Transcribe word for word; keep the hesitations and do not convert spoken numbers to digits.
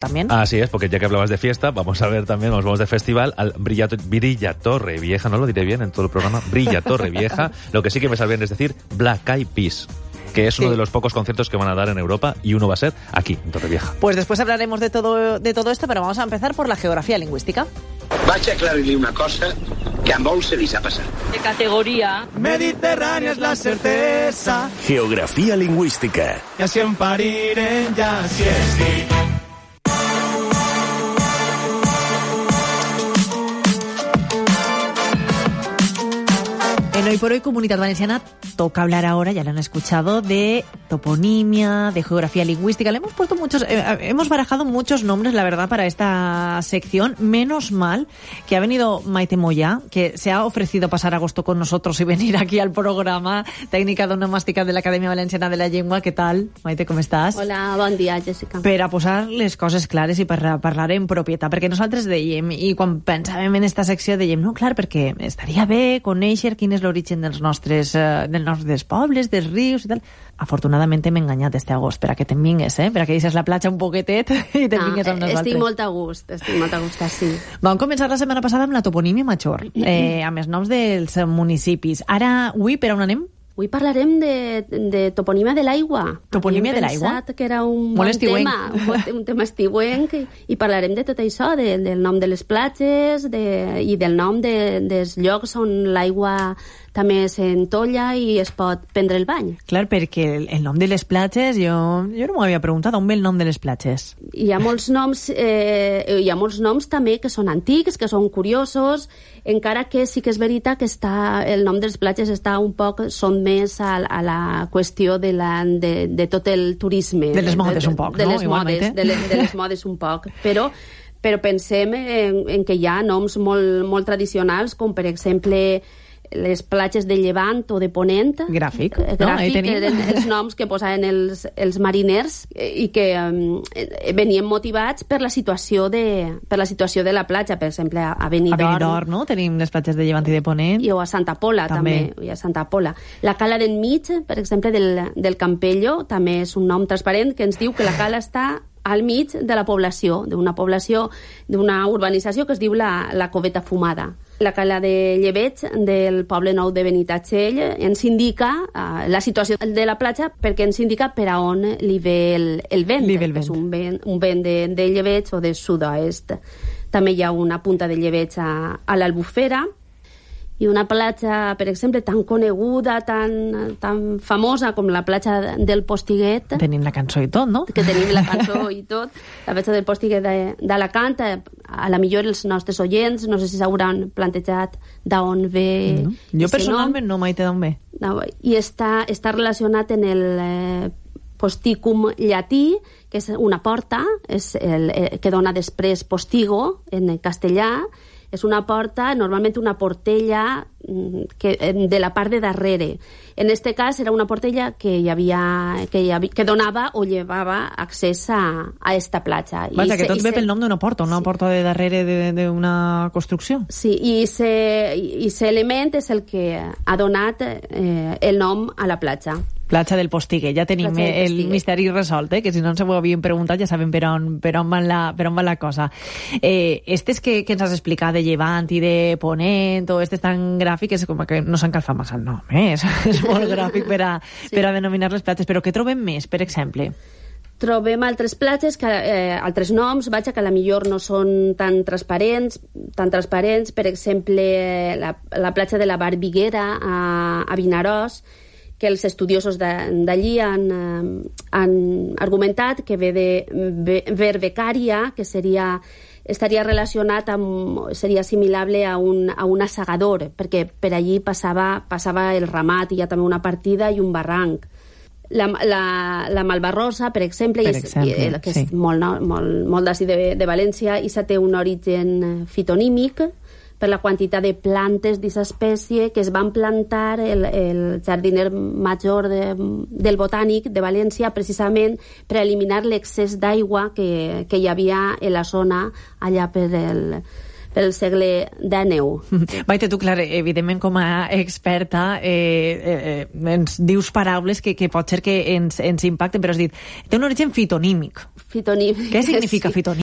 también. Así es, porque ya que hablabas de fiesta, vamos a ver también, nos vamos de festival al Brilla, Brilla Torre Vieja, no lo diré bien en todo el programa, Brilla Torre Vieja, lo que sí que me sale bien es decir Black Eyed Peas, que es uno sí. de los pocos conciertos que van a dar en Europa y uno va a ser aquí, en Torrevieja. Pues después hablaremos de todo, de todo esto, pero vamos a empezar por la geografía lingüística. Vaig a aclarir-li una cosa que a molts se li ha passat. De categoría Mediterránea es la certeza. Geografía lingüística. Y así en parirem, ya así es. En Hoy por Hoy Comunidad Valenciana toca hablar ahora, ya lo han escuchado, de toponimia, de geografía lingüística. Le hemos puesto muchos, eh, hemos barajado muchos nombres, la verdad, para esta sección. Menos mal que ha venido Maite Moya, que se ha ofrecido pasar agosto con nosotros y venir aquí al programa. Tècnica d'onomàstica de l'Acadèmia Valenciana de la Llengua. Què tal, Maite, com estàs? Hola, bon dia, Jessica. Per a posar les coses clares i per a parlar en propietat, perquè nosaltres dèiem, i quan pensàvem en esta secció dèiem, no, clar, perquè estaria bé conèixer quin és l'origen dels nostres, eh, dels nostres pobles, dels rius i tal. Afortunadament hem enganyat este agost per a que te'n vingues, eh? Per a que deixes la platja un poquetet i te'n vingues amb nosaltres. Estic molt a gust, estic molt a gust, sí. Vam començar la setmana passada amb la toponímia major, eh, amb els noms dels municipis. Ara, avui, per on anem? Avui parlarem de, de toponímia de l'aigua. Toponímia de l'aigua? Havíem pensat que era un bon tema, un, un tema estiuenc, i parlarem de tot això, de, del nom de les platges de, i del nom de, dels llocs on l'aigua també s'entolla i es pot prendre el bany. Clar, perquè el, el nom de les platges, jo, jo no m'ho havia preguntat, on ve el nom de les platges? Hi ha molts noms, eh, hi ha molts noms també que són antics, que són curiosos, encara que sí que és veritat que està, el nom de les platges està un poc, són més a, a la qüestió de, la, de, de tot el turisme. De les modes un poc, de, no? De les modes, de, les, de les modes un poc, però però pensem en, en que hi ha noms molt, molt tradicionals, com per exemple les platges de Llevant o de Ponent. Gràfic, gràfic no? Ahí tenim. Eren els noms que posaven els, els mariners i que um, venien motivats per la situació de, per la situació de la platja, per exemple, a Benidorm. A Benidorm, no? Tenim les platges de Llevant i de Ponent. I o a Santa Pola, també. també. I a Santa Pola. La cala d'enmig, per exemple, del, del Campello, també és un nom transparent que ens diu que la cala està al mig de la població, d'una població, d'una urbanització que es diu la, la Coveta Fumada. La cala de Llebeig del poble nou de Benitatxell ens indica uh, la situació de la platja perquè ens indica per a on li ve el, el vent, li ve el vent. És un vent, un vent de, de Llebeig o de sud-oest. També hi ha una punta de Llebeig a, a l'Albufera, i una platja, per exemple, tan coneguda, tan, tan famosa com la platja del Postiguet. Tenim la cançó i tot, no? Que tenim la cançó i tot. La platja del Postiguet d'Alacant, a la millor els nostres oients, no sé si s'hauran plantejat d'on ve... No. Jo personalment no, Maite, d'on ve. No, I està, està relacionat en el eh, posticum llatí, que és una porta, és el, eh, que dona després postigo, en castellà. És una porta, normalment una portella que, de la part de darrere. En este cas era una portella que hi havia, que, hi havia, que donava o llevava accés a, a esta platja. Vaja, que se, tot ve se, pel nom d'una porta, una sí. porta de darrere d'una construcció. Sí, i aquest element és el que ha donat eh, el nom a la platja. Platja del Postiguet, ja tenim el misteri resolt, eh? Que si no ens ho havien preguntat ja sabem per on, per on, va, la, per on va la cosa. Eh, estes que, que ens has explicat de Llevant i de Ponent, o estes tan gràfiques, com que no s'han calfat massa el nom, eh? És, és molt gràfic per a, sí. per a denominar les platges, però què trobem més, per exemple? Trobem altres platges, que, eh, altres noms, vaja, que a la millor no són tan transparents, tan transparents, per exemple, la, la platja de la Barbiguera a, a Vinaròs, que els estudiosos d'allí han, han argumentat que ve de verbecària, que seria, estaria relacionat amb, seria assimilable a un, a un assegador, perquè per allí passava, passava el ramat, i hi ha també una partida i un barranc. La, la, la Malvarrosa, per exemple, per exemple és, que és sí. molt, molt, molt d'ací de, de València, i se té un origen fitonímic, per la quantitat de plantes d'aquesta espècie que es van plantar el, el jardiner major de, del Botànic de València precisament per eliminar l'excés d'aigua que, que hi havia en la zona allà per el, pel segle dènou. Maite, tu, clar, evidentment com a experta eh, eh, ens dius paraules que, que pot ser que ens, ens impacten, però has dit, té un origen fitonímic. Fitonímic. Què significa sí. fitonímic?